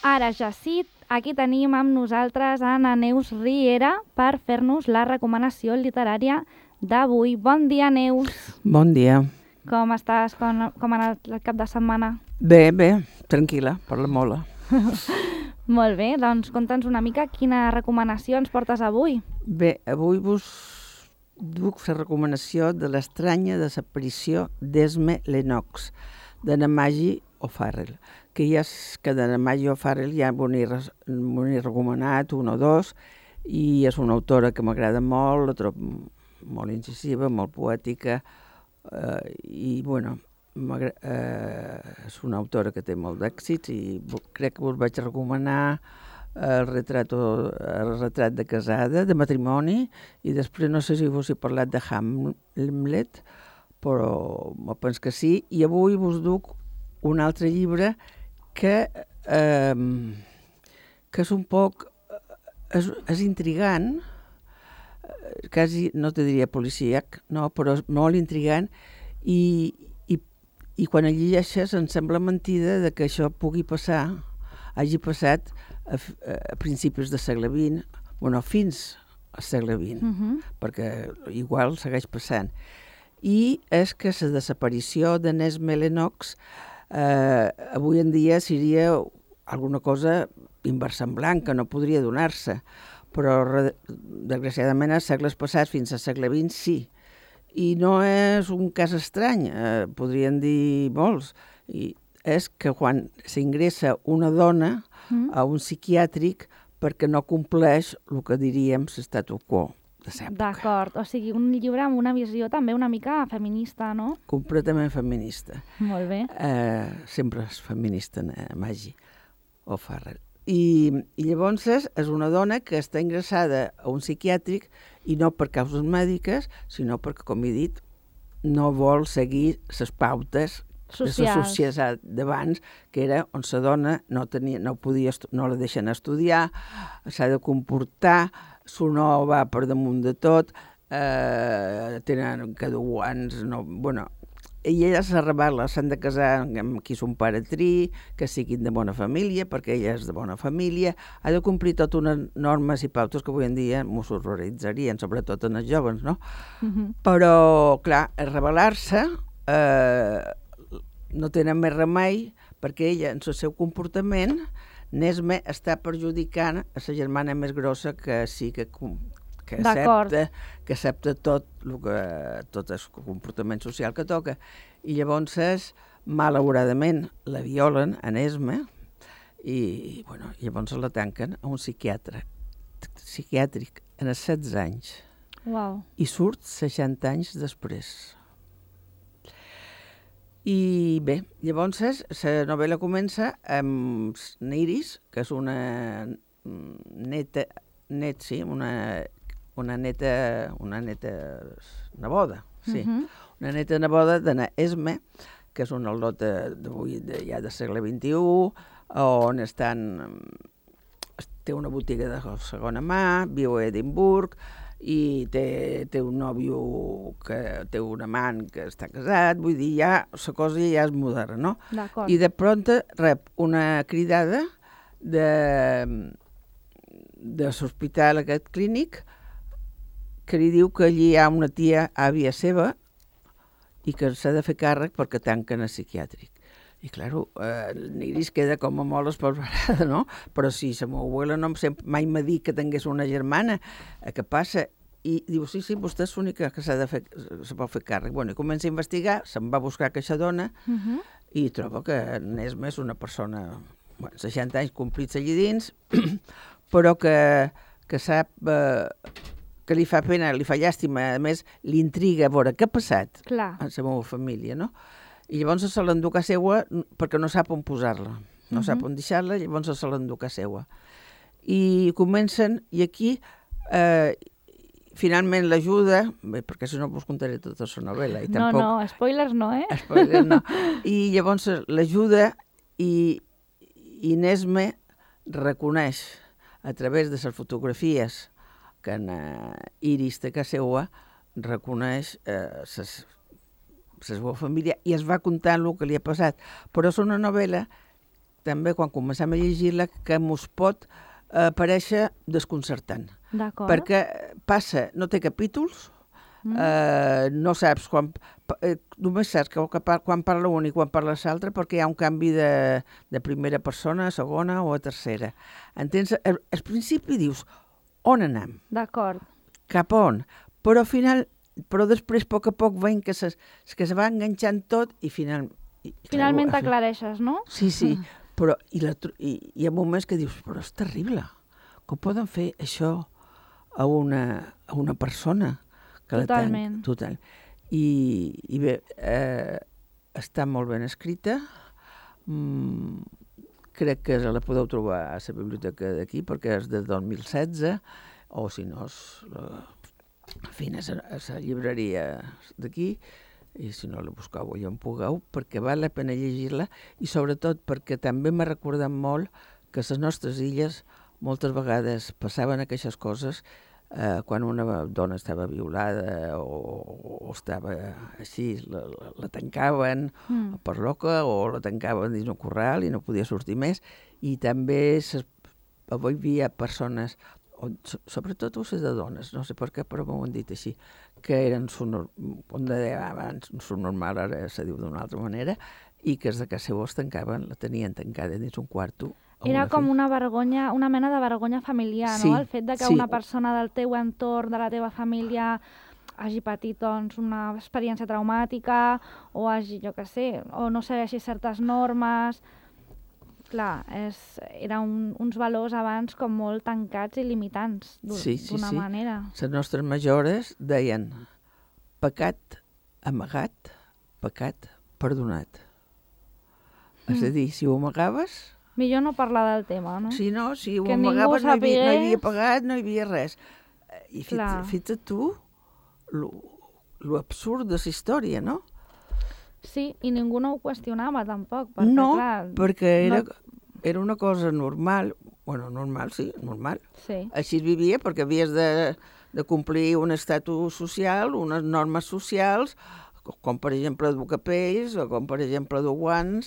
Ara ja sí, aquí tenim amb nosaltres Anna Neus Riera per fer-nos la recomanació literària d'avui. Bon dia, Neus. Bon dia. Com estàs? Com ha anat el cap de setmana? Bé, tranquil·la, per la mola. Molt bé, doncs conta'ns una mica quina recomanació ens portes avui. Bé, avui vos duc la recomanació de l'estranya desaparició d'Esme Lennox, de Maggie O'Farrell, que de Maggie O'Farrell ja m'ho he recomanat un o dos, i és una autora que m'agrada molt, la trobo molt incisiva, molt poètica, i bueno, és una autora que té molt d'èxits i crec que us vaig recomanar el retrat de casada, de matrimoni, i després no sé si us he parlat de Hamlet, però penso que sí. I avui vos duc un altre llibre que és un poc... és intrigant, quasi no te diria policíac, no, però és molt intrigant, i quan el llegeixes em sembla mentida de que això hagi passat a principis del segle XX, bueno, fins al segle XX, perquè igual segueix passant. I és que la desaparició de Esme Lennox avui en dia seria alguna cosa inversemblant, que no podria donar-se, però desgraciadament als segles passats fins al segle XX sí. I no és un cas estrany, podrien dir molts. I és que quan s'ingressa una dona a un psiquiàtric perquè no compleix el que diríem l'statu quo de l'època. D'acord, o sigui, un llibre amb una visió també una mica feminista, no? Completament feminista. Molt bé. Sempre és feminista, Maggie O'Farrell. I llavors és una dona que està ingressada a un psiquiàtric i no per causes mèdiques, sinó perquè, com he dit, no vol seguir les pautes de la societat d'abans, que era on la dona no la deixen estudiar, s'ha de comportar, no va per damunt de tot, tenen caduans, i ella s'ha rebel·la, s'han de casar amb qui son pare triï, que siguin de bona família, perquè ella és de bona família, ha de complir totes unes normes i pautes que avui en dia mos horroritzarien, sobretot en els joves, no? Però, clar, rebel·lar-se no tenen més remei, perquè ella, en el seu comportament, Esme està perjudicant a la germana més grossa que sí que accepta tot el comportament social que toca. I llavors, malauradament, la violen en Esme i llavors la tanquen a un psiquiàtric en els 16 anys. Wow. I surt 60 anys després. I bé, llavors la novel·la comença amb Iris, que és una neta neboda, sí. Una neta neboda de Esme, que és una al·lota ja del segle XXI, on té una botiga de segona mà, viu a Edimburg, i té un nòvio que té un amant que està casat, vull dir, ja la cosa ja és moderna, no? D'acord. I de pronto rep una cridada de l'hospital aquest clínic que li diu que allí hi ha una tia àvia seva i que s'ha de fer càrrec perquè tanquen el psiquiàtric. I, clar, l'Iris queda com a molt esparverada, no? Però si la meva abuela mai m'ha dit que tingués una germana, què passa? I diu, sí, vostè és l'única que se pot fer càrrec. I comença a investigar, se'n va buscar aquesta dona i troba que Esme és una persona, 60 anys complits allà dins, però que sap que li fa pena, li fa llàstima, a més, l'intriga a veure què ha passat en la meva família, no? I llavors se l'endú a seua perquè no sap on posar-la, no sap on deixar-la, llavors se l'endú a seua. I comencen, i aquí finalment l'ajuda, perquè si no us contaré tota la novel·la. No, spoilers no, Spoilers no. I llavors l'ajuda i Esme reconeix a través de les fotografies que en Iris té a casa seva, reconeix la seva família i es va contant el que li ha passat. Però és una novel·la també quan comencem a llegir-la que mos pot parèixer desconcertant. D'acord. Perquè passa, no té capítols, no saps quan... només saps que quan parla un i quan parla l'altre perquè hi ha un canvi de primera persona a segona o a tercera. Entens? Al principi dius, on anem? D'acord. Cap on? Però al final, després, a poc veiem que se va enganxant tot i finalment t'aclareixes, no? Sí, però hi ha moments que dius, però és terrible. Com poden fer això a una persona? Totalment. Total. I bé, està molt ben escrita. Crec que la podeu trobar a la biblioteca d'aquí, perquè és de 2016, o si no, a la llibreria d'aquí, i si no la busqueu allà on pugueu, perquè val la pena llegir-la, i sobretot perquè també m'ha recordat molt que a les nostres illes moltes vegades passaven aquestes coses quan una dona estava violada o estava així, la tancaven per loca o la tancaven dins un corral i no podia sortir més. I també avui hi havia persones, sobretot les de dones, no sé per què, però m'ho han dit així, que eren, com deia abans, subnormal, ara se diu d'una altra manera, i que els de casa seva es tancaven, la tenien tancada dins un quarto. Era com una vergonya, una mena de vergonya familiar, sí, no? El fet de que una persona del teu entorn, de la teva família, hagi patit doncs, una experiència traumàtica o hagi, jo què sé, o no segueixi certes normes. Clar, eren uns valors abans com molt tancats i limitants, d'una manera. Les nostres majores deien pecat amagat, pecat perdonat. És a dir, si ho amagaves... Millor no parlar del tema, no? Si no, si ho amagaves no hi havia pagat, no hi havia res. I fixa't tu lo absurd de la història, no? Sí, i ningú no ho qüestionava tampoc. Perquè, no, clar, perquè era una cosa normal. Bueno, normal, sí, normal. Sí. Així es vivia perquè havies de complir un estatus social, unes normes socials, com per exemple dur capells o com per exemple dur guants,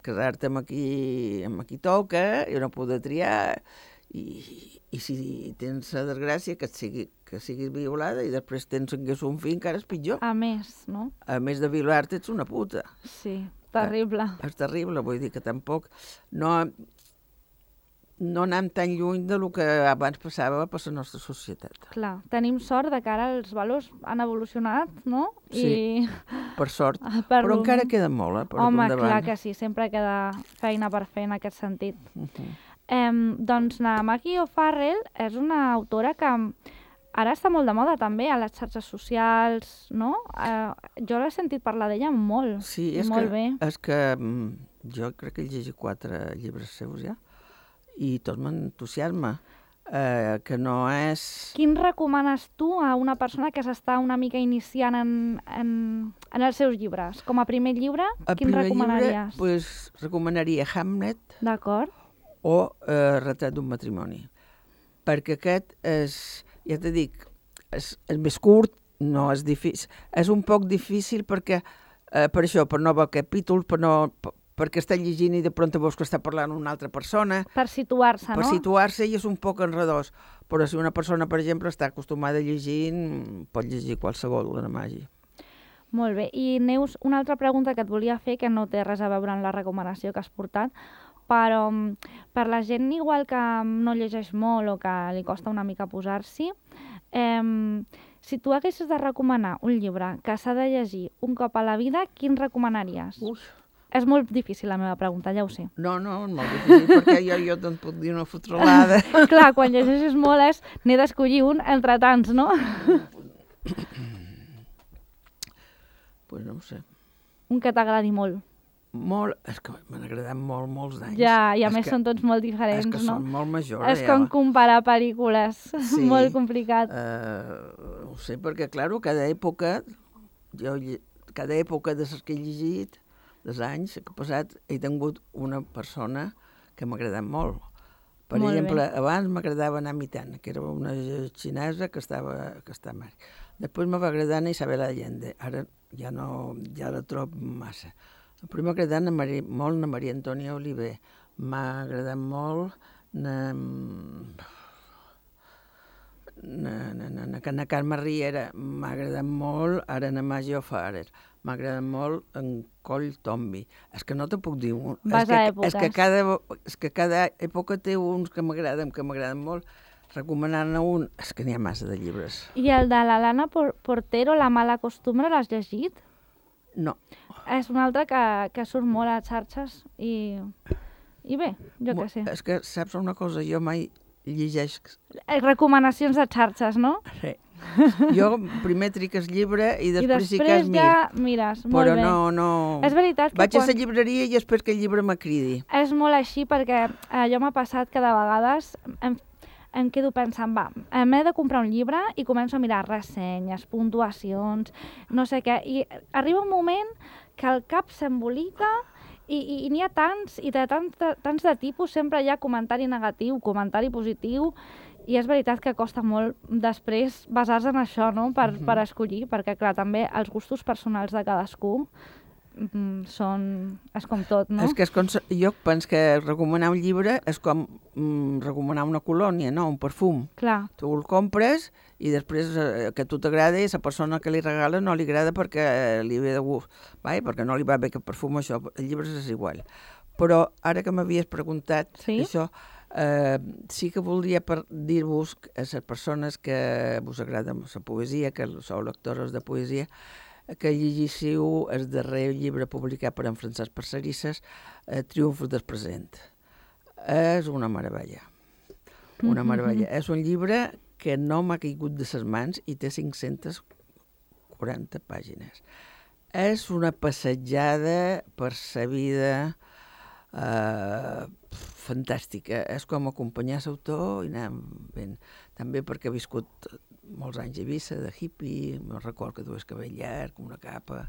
casar-te amb qui toca i no poder triar, i si tens la desgràcia que siguis violada i després tingués un fill, encara és pitjor. A més, no? A més de violar-te ets una puta. Sí, terrible. És terrible, vull dir que tampoc no anem tan lluny del que abans passava per la nostra societat. Clar, tenim sort de que ara els valors han evolucionat, no? Sí, per sort. Però encara queda molt, Home, clar que sí, sempre queda feina per fer en aquest sentit. Doncs la Maggie O'Farrell és una autora que ara està molt de moda també a les xarxes socials, no? Jo l'he sentit parlar d'ella molt, sí, molt bé. Sí, és que jo crec que he llegit 4 llibres seus ja, i tot m'entusiasma, que no és... Quin recomanes tu a una persona que s'està una mica iniciant en els seus llibres? Com a primer llibre, quin recomanaries? Pues, recomanaria Hamlet. D'acord. O Retrat d'un matrimoni. Perquè aquest és, ja t'he dit, és més curt, no és difícil. És un poc difícil perquè, per això, per no veure capítols, perquè està llegint i de pront veus que està parlant una altra persona. Per situar-se, no? Per situar-se i és un poc enredós. Però si una persona, per exemple, està acostumada a llegir, pot llegir qualsevol de la màgia. Molt bé. I Neus, una altra pregunta que et volia fer, que no té res a veure amb la recomanació que has portat, però per la gent igual que no llegeix molt o que li costa una mica posar-s'hi, si tu haguessis de recomanar un llibre que s'ha de llegir un cop a la vida, quin recomanaries? És molt difícil la meva pregunta, ja ho sé. No, és molt difícil, perquè jo te'n puc dir una fotrolada. Clar, quan llegeixes molt n'he d'escollir un entre tants, no? Pues no ho sé. Un que t'agradi molt. Molt, és que m'han agradat molts d'anys. Ja, i a més són tots molt diferents, no? És que són molt majors. És com comparar pel·lícules, molt complicat. Ho sé, perquè, clar, cada època de les que he llegit, dels anys que he passat, he tingut una persona que m'ha agradat molt. Per exemple, abans m'agradava Ana Mitana, que era una xinesa que estava mar. Després me va agradar Isabel Allende. Ara ja la trobo massa. Primer m'ha agradat molt la Maria Antònia Oliver. M'ha agradat molt na Carme Riera. M'ha agradat molt ara na Maggie O'Farrell. M'ha agradat molt en Coll Tomby. És que no te puc dir... Vas a èpoques. És que cada època té uns que m'agraden molt. Recomanar-ne un... És que n'hi ha massa de llibres. I el de l'Alana Portero, La mala costumbre, l'has llegit? No. És un altre que surt molt a xarxes i bé, jo què sé. És que saps una cosa, jo mai llegeix... Recomanacions de xarxes, no? Sí. Jo primer tric el llibre i després sí que després es mir. ja mires, molt però bé. no... És veritat que vaig a la llibreria i espero que el llibre m'acridi. És molt així perquè allò m'ha passat que de vegades em quedo pensant, m'he de comprar un llibre i començo a mirar ressenyes, puntuacions, no sé què, i arriba un moment que el cap s'embolica i n'hi ha tants, i de tants de tipus, sempre hi ha comentari negatiu, comentari positiu, i és veritat que costa molt després basar-se en això, no?, per escollir, perquè, clar, també els gustos personals de cadascú és com tot, no? És que jo penso que recomanar un llibre és com recomanar una colònia, no?, un perfum. Clar. Tu el compres i després que a tu t'agrada i a la persona que li regala no li agrada perquè li ve de gust, perquè no li va bé que perfum això, el llibre és igual. Però ara que m'havies preguntat això, sí que voldria dir-vos a les persones que us agrada la poesia, que sou lectores de poesia, que llegissiu el darrer llibre publicat per en Francesc Parcerisses, Triomfos del present. És una meravella. Una meravella. És un llibre que no m'ha caigut de les mans i té 540 pàgines. És una passejada per la vida fantàstica. És com acompanyar l'autor i anar ben... També perquè he viscut molts anys a Eivissa, de hippie, me'n record que dues cabell llarg, una capa,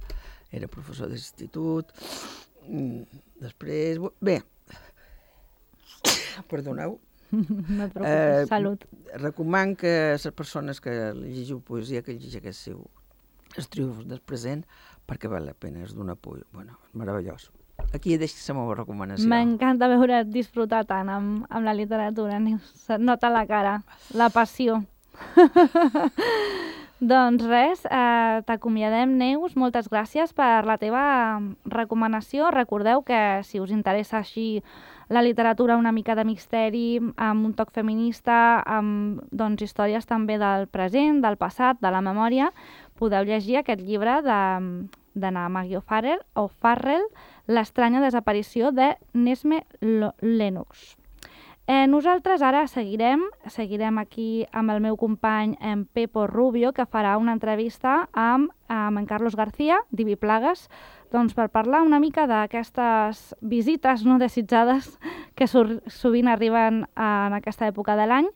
era professor d'institut. Després... Bé, perdoneu. No et preocupis, salut. Recomano que les persones que llegiu poesia, que llegeixeu els triomfos del present, perquè val la pena, és d'una poesia. Bueno, és meravellós. Aquí deixo la meva recomanació. M'encanta veure't disfrutar tant amb la literatura, se't nota la cara, la passió. Doncs res, t'acomiadem, Neus, moltes gràcies per la teva recomanació. Recordeu que si us interessa així la literatura una mica de misteri, amb un toc feminista, amb històries també del present, del passat, de la memòria, podeu llegir aquest llibre de na Maggie O'Farrell, L'estranya desaparició de Nesme Lennox. Nosaltres ara seguirem aquí amb el meu company en Pepo Rubio, que farà una entrevista amb en Carlos García, d'Ibi Plagues, per parlar una mica d'aquestes visites no desitjades que sovint arriben en aquesta època de l'any,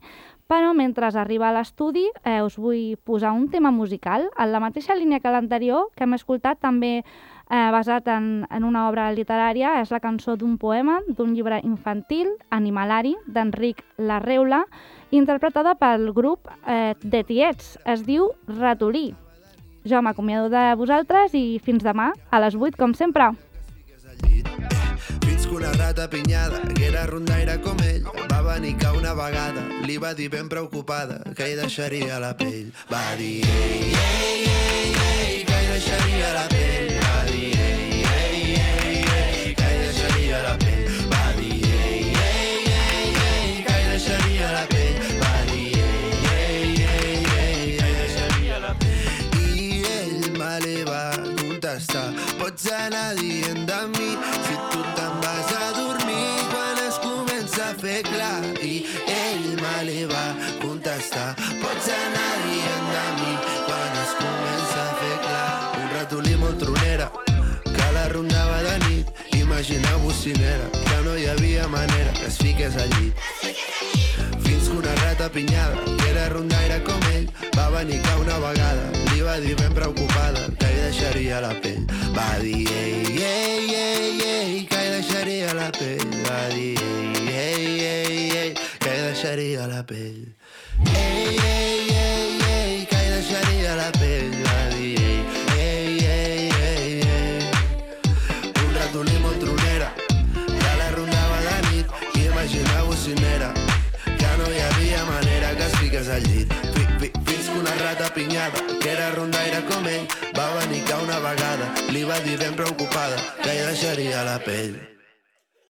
però mentre arriba a l'estudi us vull posar un tema musical en la mateixa línia que l'anterior, que hem escoltat també basat en una obra literària. És la cançó d'un poema, d'un llibre infantil, Animalari, d'Enric Larreula, interpretada pel grup de Tiets. Es diu Ratolí. Jo m'acomiado de vosaltres i fins demà a les 8, com sempre. Fins que una rata pinyada, que era rondaire com ell, va venir que una vegada li va dir ben preocupada que hi deixaria la pell. Va dir ei, ei, ei, ei, que hi deixaria la pell. Va dir ei, ei, ei, ei, que hi deixaria la pell. Va dir ei, ei, ei, ei, que hi deixaria la pell. Va dir ei, ei, ei, ei, que hi deixaria la pell. I ell me li va contestar, pots anar dient de mi si tu te'n vas a dormir quan es comença a fer clar. I ell me li va contestar, pots anar dient de mi quan es comença a fer clar. Un ratolí molt tronera que la rondava de nit. Imagineu-vos si n'era, que no hi havia manera que es fiqués al llit. Fins que una rata pinyada, que era rondaire com ell, va venir que una vegada li va dir ben preocupada que hi deixaria la pell. Va dir ei, ei, ei, ei, que hi deixaria la pell. Va dir ei, ei, ei, ei, que hi deixaria la pell. Ei, ei, ei, ei, que hi deixaria la pell. Va dir ei, ei, ei, ei, ei. Un al llit. Fins que una rata pinyada, que era rondaire com ell, va venir que una vegada li va dir ben preocupada que hi deixaria la pell.